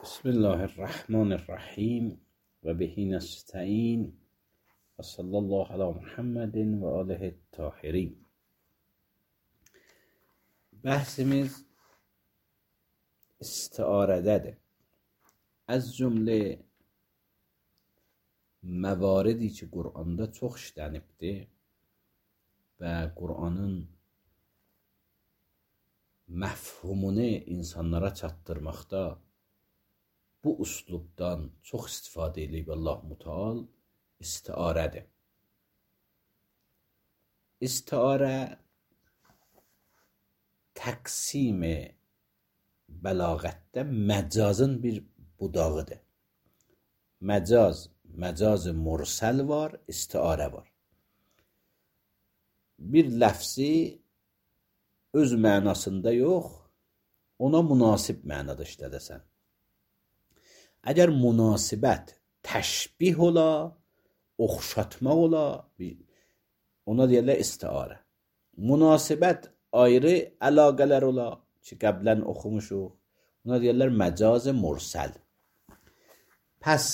بسم الله الرحمن الرحیم و بهی نستعین و صلی الله علی محمد و آله الطاهرین. Bəhsimiz istiarədədir. Az cümlə məvaridi ki, Qur'anda çox işlənibdir və Qur'anın məfhumunu insanlara çatdırmaqda bu üslubdan çox istifadə edib Allah Müteal istiarədir. İstiarə təqsim bəlağətdə məcazın bir budağıdır. Məcaz mursəl var, istiarə var. Bir ləfzi öz mənasında yox, ona münasib mənada işlədəsən. Əgər münasibət təşbih ola, oxşatmaq ola, ona deyirlər istiarə. Münasibət ayrı əlaqələr ola ki, qəblən oxumuşuq, ona deyirlər məcaz mursəl. Pəs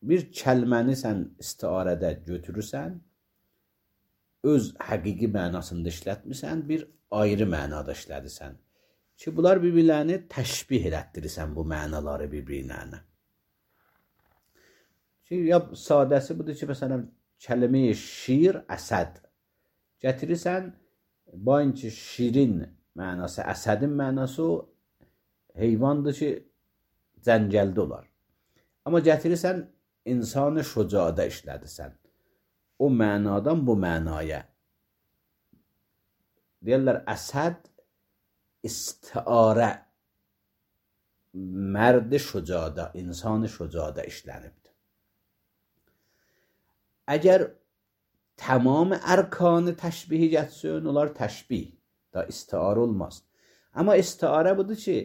bir kəlməni sən istiarədə götürürsən, öz həqiqi mənasında işlətmirsən, bir ayrı mənada işlədirsən ki, bunlar bir-birlərini təşbih elətdirirsən bu mənaları bir-birlərinə. Ya sadəsi budur ki, məsələn, kəlmə-i şir, əsəd gətirirsən, bain ki, şirin mənası, əsədin mənası o heyvandır ki, cəngəldə olar. Amma gətirirsən, insanı şücaada işlədirsən. O mənadan bu mənaya. Deyirlər, əsəd istiarə, mərd-i şücaada, insanı şücaada işlənibdir. Əgər tamam ərkanı təşbihi getsin, onlar təşbih, da istiarə olmaz. Amma istiarə budur ki,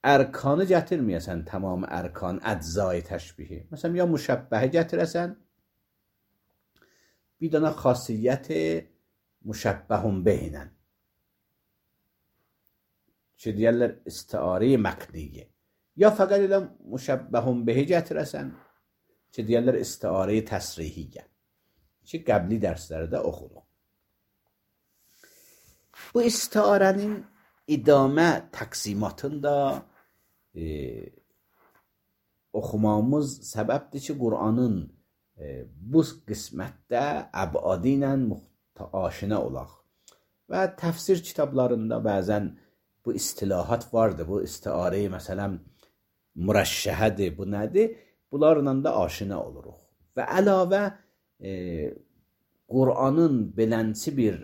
ərkanı gətirməyəsən, tamam ərkan, əczai təşbihi. Məsələn, ya müşəbbəhi gətirəsən, bir dənə xasiyyət müşəbbəhun behinən. Ki, deyərlər, istiarə məqniyyə. Ya fəqət elə müşəbbəhun behi gətirəsən, ki, deyərlər, istiarə təsrihiyyə. Ki, qəbli dərslərdə oxuduq. Bu istiarənin idamə təqsimatında oxumamız səbəbdir ki, Qur'anın bu qismətdə əbadi ilə aşina olaq. Və təfsir kitablarında bəzən bu istilahat vardır. Bu istiarə, məsələn, mürəşşəhədir, bu nədir? Bunlarla da aşina oluruq. Və əlavə Qur'anın belənsi bir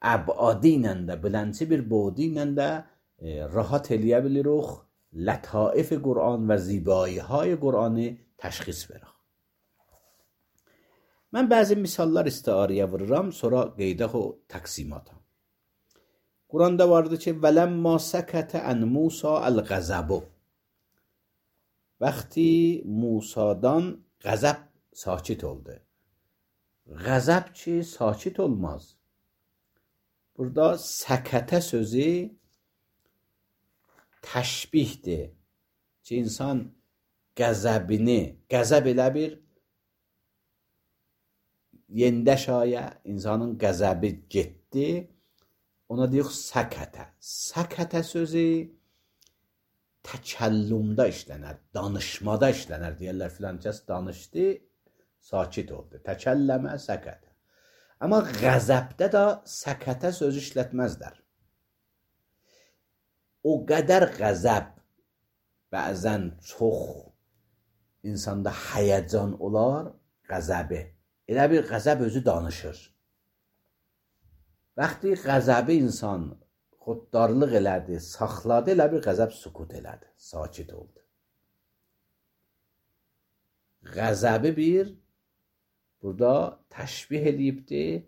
əbadi ilə də, belənsi bir bodu ilə də rahat eləyə bilirik, lətaifi Qur'an və zibayiهای Qur'anı təşxis verək. Mən bəzi misallar istiarəyə vururam, sonra qeydək o təqsimata. Qur'anda vardı ki, vələmma səkətə ən Musa əl-qəzəbu. Vəqti Musadan qəzəb sakit oldu. Qəzəb ki, sakit olmaz. Burada səkətə sözü təşbihdir ki, insan qəzəbini, qəzəb elə bir yendə şayə, insanın qəzəbi getdi, ona deyək səkətə. Səkətə sözü təkəllümdə işlənər, danışmada işlənər. Deyərlər, filan kəs danışdı, sakit oldu. Təkəlləmə, səkətə. Amma qəzəbdə də səkətə söz işlətməzlər. O qədər qəzəb bəzən çox insanda həyəcan olar, qəzəbi. Elə bir qəzəb özü danışır. Vaxtı qəzəbi insan xuddarlıq elədi, saxladı, elə bir qəzəb sükut elədi, sakit oldu. Qəzəbi bir, burada təşbih edibdir,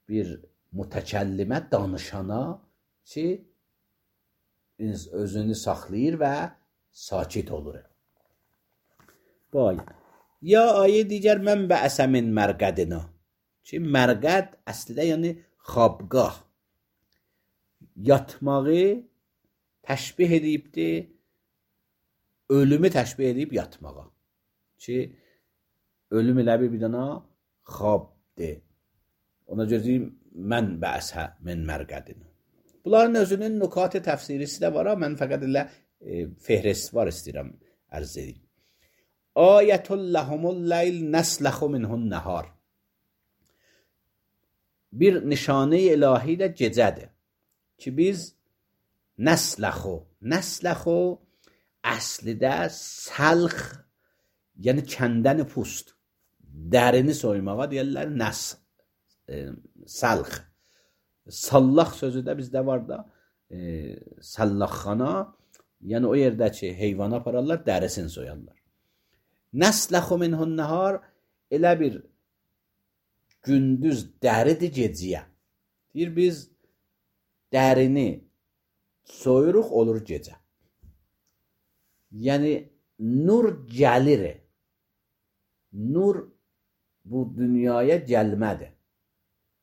bir mütəkəllimə, danışana ki, özünü saxlayır və sakit olur. Ya ayə digər mən bəəsəmin mərqədina. Ki, mərqəd əslində yəni xabqah. Yatmağı təşbih edibdir ölümü təşbih edib yatmağa. Ki, ölüm elə bir dana xabdir. Ona görə deyim, mən bəsə min mərqədin. Bunların özünün nükat-ı təfsirisi də var, mən fəqət elə fehrist var istəyirəm ərz edeyim. Ayətul ləhumul leyl nəsləxu minhun nəhar. Bir nişanə-i ilahi də gecədir. Ki biz nəsləxu əslidə səlx, yəni kəndəni pust, dərini soymağa deyərlər səlx. Sallaq sözü də bizdə var da, səllaxxana, yəni o yerdə ki, heyvana apararlar, dərisini soyarlar. Nəsləxu minhun nəhar elə bir gündüz dəridir geciyə. Deyir, biz dərini soyuruq, olur gecə. Yəni, nur gəlir. Nur bu dünyaya gəlmədir.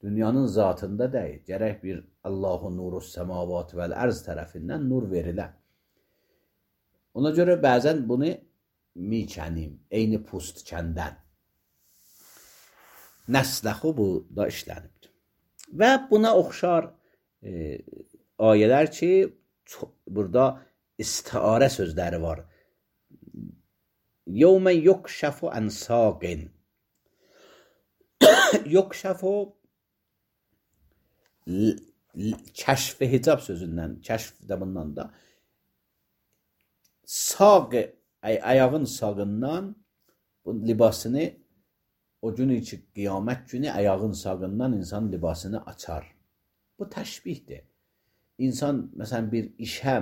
Dünyanın zatında deyil. Gərək bir Allahu nurus səmavat vəl ərz tərəfindən nur verilə. Ona görə bəzən bunu mikənim, eyni pust kəndən. Nəsləxu bu da işlənibdir. Və buna oxşar ayələr ki, burada istiarə sözləri var. Yevmə yukşəfu ən saqin. Yukşəfu kəşf-i hicab sözündən, kəşf də bundan da saq, ayağın sağından bu libasını o gün içi qiyamət günü ayağın sağından insan libasını açar. Bu təşbihdir. İnsan məsələn bir işə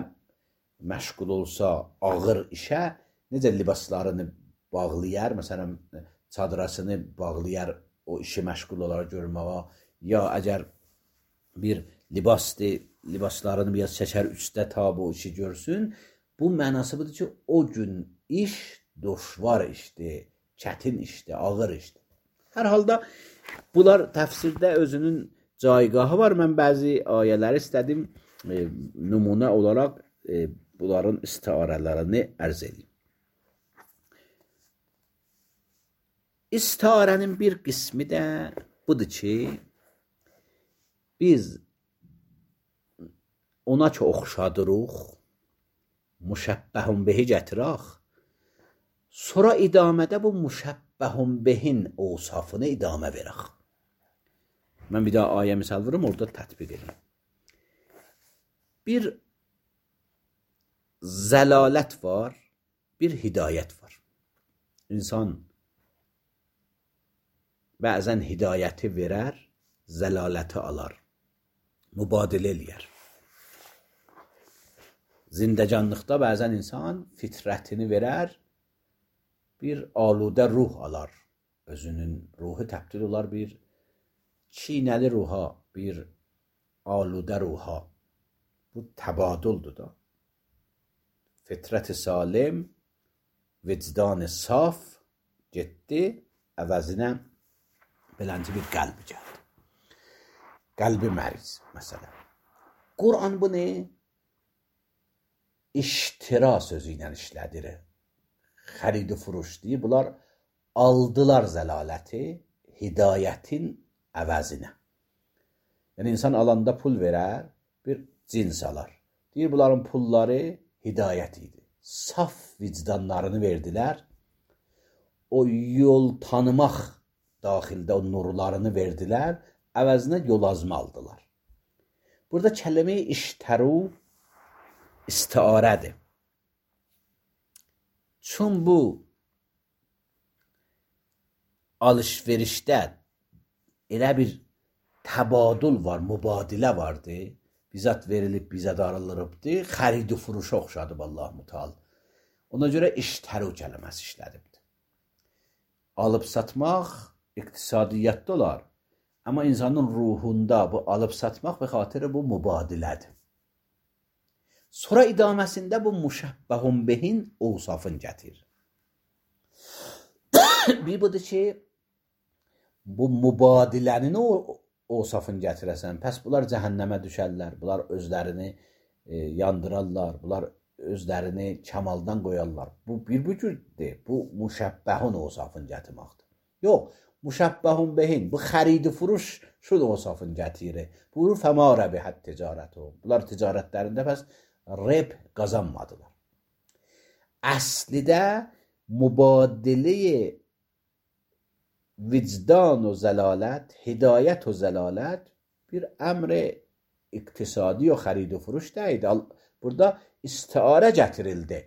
məşğul olsa, ağır işə necə libaslarını bağlayar, məsələn çadırasını bağlayar o işi məşğul olaraq görməyə, ya əgər bir libasdır, libaslarını biraz çəkər üstə tabi o işi görsün. Bu mənası budur ki, o gün iş düşvar işdir, çətin işdir, ağır işdir. Hər halda bunlar təfsirdə özünün caygahı var. Mən bəzi ayələri istədim nümunə olaraq bunların istiarələrini ərz edeyim. İstiarənin bir qismi də budur ki, biz ona ki oxşadırıq, müşəbbəhun behi gətirək, sonra idamədə bu müşəbbəhun behin ovsafını idamə verək. Mən bir daha ayə misal vurum, orada tətbiq edeyim. Bir zəlalət var, bir hidayət var. İnsan bəzən hidayəti verər, zəlaləti alar, mübadilə eləyər. Zindəcanlıqda bəzən insan fitrətini verər, bir aludə ruh alar. Özünün ruhu təbdil olar bir çiynəli ruha, bir aludə ruha. Bu təbaduldur da. Fitrət-i salim, vicdan-ı saf getdi, əvəzinə belənci bir qəlbi gəldi. Qəlbi məriz, məsələn. Qur'an bunu iştira sözü ilə işlədir. Xərid-i furuş deyib, bunlar aldılar zəlaləti hidayətin əvəzinə. Yəni, insan alanda pul verər, bir cins alar. Deyir, bunların pulları hidayət idi. Saf vicdanlarını verdilər. O yol tanımaq daxildə o nurlarını verdilər, əvəzinə yol azma aldılar. Burada kəlmə-i iştəru istiarədir. Çün bu alış-verişdə elə bir təbadul var, mübadilə vardı. Bizat verilib, bizat arılırıbdır. Xərid-i furuşa oxşadıb Allah Müteal. Ona görə iştəru kəlməsi işlədibdir. Alıb satmaq iqtisadiyyatda olar. Amma insanın ruhunda bu alıb satmaq və xatirə bu mübadilədir. Sonra idaməsində bu müşəbbəhun behin ovsafın gətirir. Bir budur ki, bu mübadilənin ovsafın gətirəsən. Pəs bunlar cəhənnəmə düşərlər, bunlar özlərini yandırarlar, bunlar özlərini kəmaldan qoyarlar. Bu bir cürdür. Bu müşəbbəhun osafın gətirməkdir. Yox, müşəbbəhun behin. Bu xəridi furuş şudur osafın gətirir. Buyurur fəma rəbihət ticarətu. Bunlar ticarətlərində pəs rib qazanmadılar. Əslidə mübadilə vicdan و zəlalət, hidayət و zəlalət bir əmr iqtisadi و xərid و furuş deyildi. Burada istiarə gətirildi.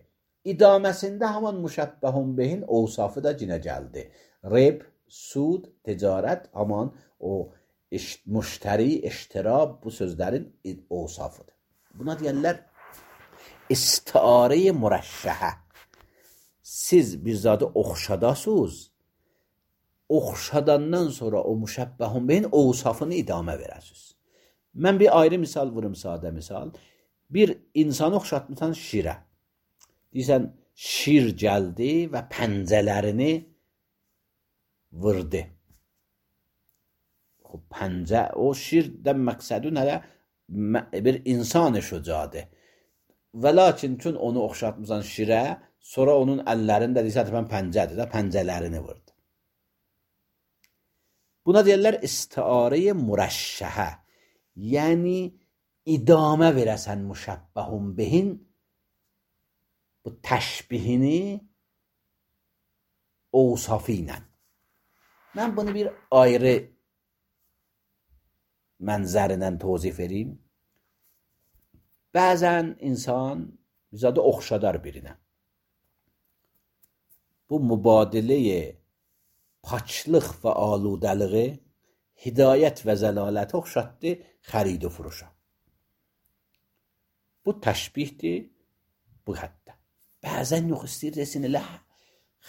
İdaməsində haman müşəbbəhun behin ovsafı da cinə gəldi. Rib, sud, ticarət, haman o müştəri, iştirab bu sözlərin ovsafıdır. Buna deyərlər istiarə mürəşşəhə. Siz bir zadı oxşadasınız. Oxşadandan sonra o müşəbbəhun behin ovsafını idamə verəsiniz. Mən bir ayrı misal vurum, sadə misal. Bir insanı oxşatmısan şirə. Deyirsən, şir gəldi və pəncələrini vurdu. Pəncə, o şirdən məqsədun hələ bir insan şücadır. Və lakin çün onu oxşatmısan şirə, sonra onun əllərində deyirsən, mən pəncədir də, pəncələrini vurdu. Buna deyirlər istiarə mürəşşəhə. Yəni idamə verəsən müşəbbəhun behin bu təşbihini ovsafı ilə. Mən bunu bir ayrı mənzərindən tozif edeyim. Bəzən insan bizadə oxşadar birinə. Bu mübadiləyə paçlıq və aludəliği, hidayət və zəlaləti oxşatdı xərid و furuşa. Bu təşbihdir bu həddə. Bəzən yox istəyir desin, elə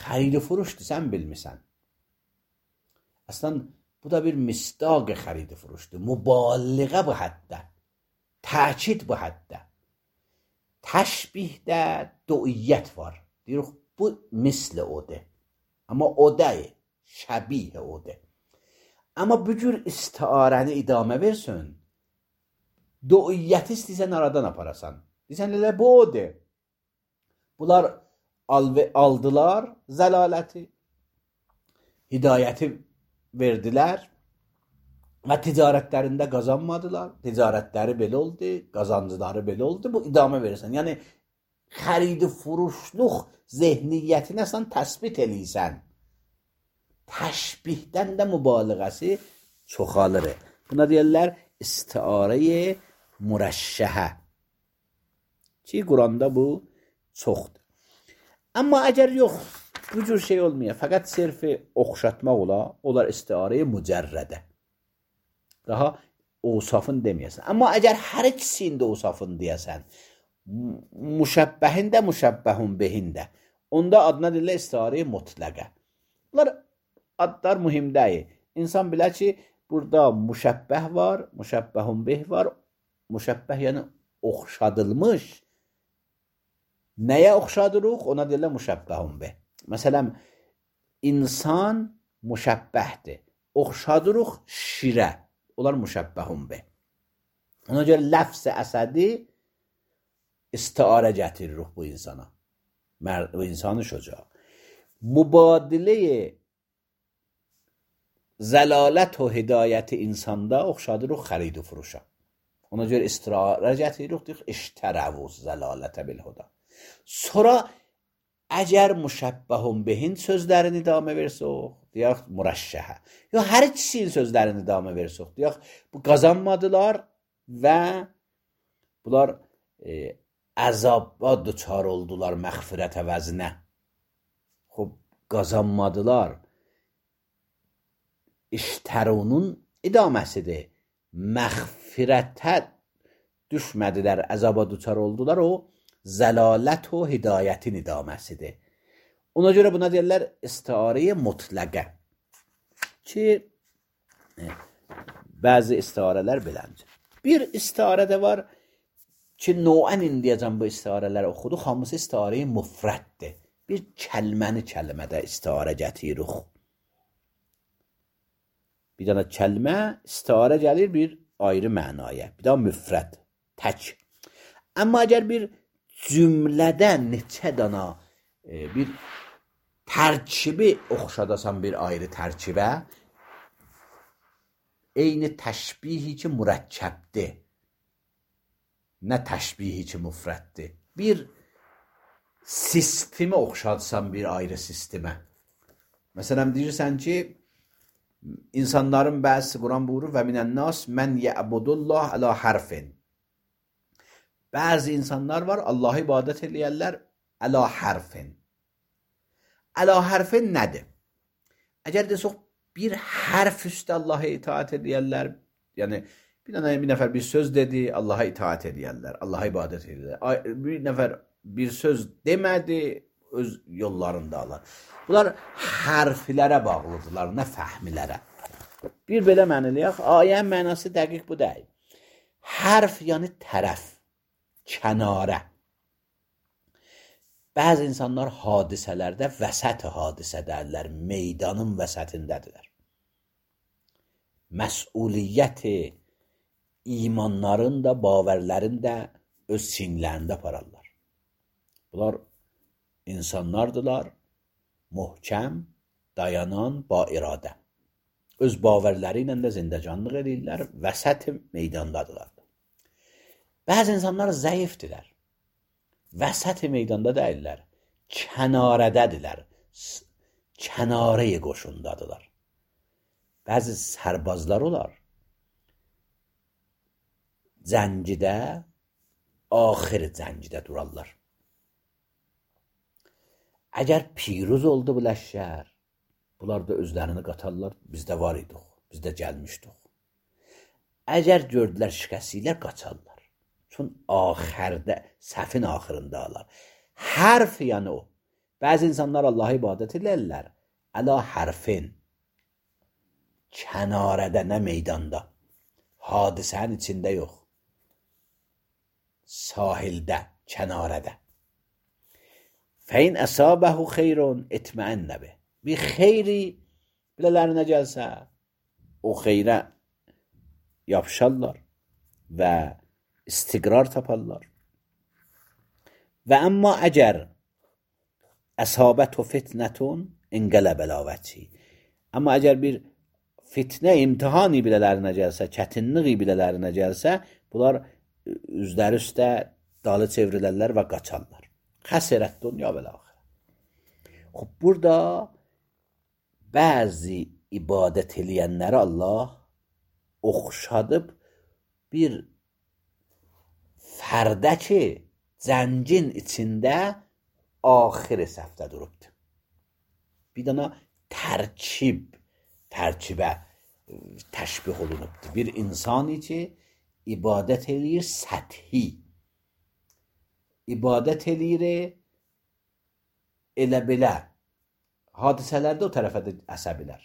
xərid و furuşdur, sən bilmirsən. Əslən, bu da bir misdaq xərid و furuşdur. Mübaliğə bu həddə. Təkid bu həddə. Təşbihdə duiyyət var. Deyirik, bu misli odur. Amma o deyil. Şəbih odur. Amma bu cür istiarəni idamə versin, duiyyəti istəysən aradan aparasan. Deysən, elə bu odur. Bunlar aldılar zəlaləti, hidayəti verdilər və ticarətlərində qazanmadılar. Ticarətləri belə oldu, qazancıları belə oldu. Bu idamə verirsən. Yəni, xərid-i furuşluq zehniyyətini sən təsbit eləyirsən. Təşbihdən də mübaliğəsi çoxalır. Buna deyirlər istiarə mürəşşəhə. Ki, Quranda bu çoxdur. Amma əgər yox, bu cür şey olmuyor. Fəqət sirfi oxşatmaq olar istiarə mücərrədə. Daha ovsafın deməyəsən. Amma əgər hər ikisində ovsafın deyəsən, müşəbbəhin də, müşəbbəhun behin də, onda adına deyirlər istiarə mutləqə. Bunlar adlar mühim deyil. İnsan bilər ki, burada müşəbbəh var, müşəbbəhun beh var. Müşəbbəh yəni oxşadılmış. Nəyə oxşadırıq? Ona deyirlər müşəbbəhun beh. Məsələn, insan müşəbbəhdir. Oxşadırıq şirə. Onlar müşəbbəhun beh. Ona görə ləfz-i əsədi istiarə gətiririk bu insana. Bu insanı şüca. Mübadilə zəlalət və hidayəti insanda oxşadırıq xərid و furuşa. Ona görə istiarə gətiririk, iştərəvuz zəlalətə bilhuda. Sonra əgər müşəbbəhun behin sözlərini idamə versək, deyək mürəşşəhə. Yox, hər ikisinin sözlərini idamə versək, deyək bu qazanmadılar və bunlar əzaba düçar oldular məğfirət əvəzinə. Xub, qazanmadılar. İştərunun idaməsidir. Məğfirətə düşmədilər, əzaba düçar oldular, o zəlalət və hidayətin idaməsidir. Ona görə buna deyirlər istiarə mutləqə. Ki, bəzi istiarələr beləncə. Bir istiarə də var ki, noən indiyəcəm bu istiarələri oxuduq, hamısı istiarə müfrəddir. Bir kəlməni kəlmədə istiarə gətiririk. Bir dənə kəlmə istiarə gəlir bir ayrı mənaya. Bir daha müfrəd, tək. Amma əgər bir cümlədə neçə dana bir tərkibi oxşadasan bir ayrı tərkibə, eyni təşbihi ki mürəkkəbdir, nə təşbihi ki müfrəddir. Bir sistemi oxşadsan bir ayrı sistemə. Məsələn, deyirsən ki, insanların bəzisi Quran buyurur və minənnas mən yəbudullah əla hərfin. Bəzi insanlar var, Allah'a ibadət eləyərlər əla hərfin. Əla hərfin nədir? Əgər desək, bir hərf üstə Allah'a itaat edəyərlər, yəni bir nəfər bir söz dedi, Allah'a itaat edəyərlər, Allah'a ibadət edəyərlər. Bir nəfər bir söz demədi, öz yollarında alır. Bunlar hərflərə bağlıdırlar, nə fəhmilərə. Bir belə məniləyək, ayənin mənası dəqiq bu deyil. Hərf yəni tərəf, kənarə. Bəzi insanlar hadisələrdə vəsət hadisədədirlər, meydanın vəsətindədirlər. Məsuliyyəti imanların da, bavərlərin də öz sinlərində apararlar. Bunlar insanlardırlar, möhkəm, dayanan, ba iradə. Öz bavərləri ilə də zindəcanlıq edirlər, vəsət meydandadırlar. Bəzi insanlar zəifdirlər. Vəsət meydanda deyirlər, kənarədədirlər, kənarəyə qoşundadılar. Bəzi sərbazlar olar, zəncidə, axir zəncidə durarlar. Əgər piruz oldu bu ləşkər, bunlar da özlərini qatarlar, biz də var idik, biz də gəlmişdik. Əgər gördülər şikəsiylər, qaçarlar. Çün axirdə, səfin axırında alar. Hərf yəni o. Bəzi insanlar Allah'a ibadət edirlər, əla hərfin. Kənarədə, nə meydanda. Hadisənin içində yox. Sahildə, kənarədə. Fəin əsabəhu xeyrun etməənnə bih. Bir xeyri bilələrine gəlsə, o xeyrə yapışarlar və istiqrar taparlar. Və əmma əgər əsabətu fitnətun ingələ bəlavəçi. Amma əgər bir fitnə, imtihani bilələrine gəlsə, çətinliği bilələrine gəlsə, bunlar üzləri üstə dalı çevrilərlər və qaçarlar. Xəsirət dünya və axirə. Burada bəzi ibadət eləyənləri Allah oxşadıb bir fərdə ki, zəncin içində axir səfdə durubdur. Bir dana tərkibə təşbih olunubdur. Bir insani ki, ibadət eləyir səthi. İbadət eləyir elə belə. Hadisələrdə o tərəfə də əsəbilər.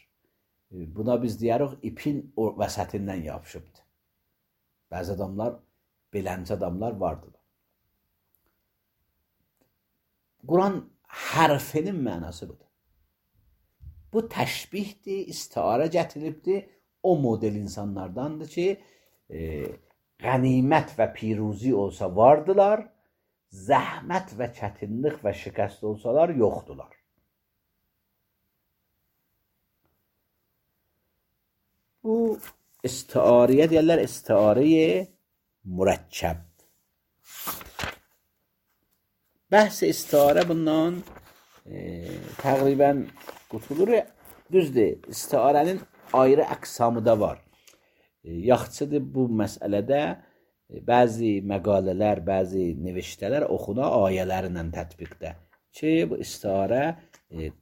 Buna biz deyirik, ipin vəsətindən yapışıbdır. Bəzi adamlar, belənci adamlar vardır. Quran hərfinin mənası budur. Bu təşbihdir, istiarə gətirilibdir. O model insanlardandır ki, qənimət və piruzi olsa vardılar, zəhmət və çətinlik və şikəst olsalar yoxdular. Bu istiarəyə deyirlər, istiarəyə mürəkkəb. Bəhs istiarə bundan təqribən qutulur. Düzdür, istiarənin ayrı əqsamı da var. Yaxşıdır bu məsələdə bəzi məqalələr, bəzi neviştələr oxuna ayələrlə tətbiqdə ki, bu istiarə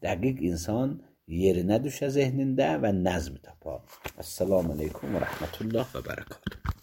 dəqiq insan yerinə düşə zehnində və nəzm tapar. Əssalamu aleykum və rəhmətullah və bərəkatuhu.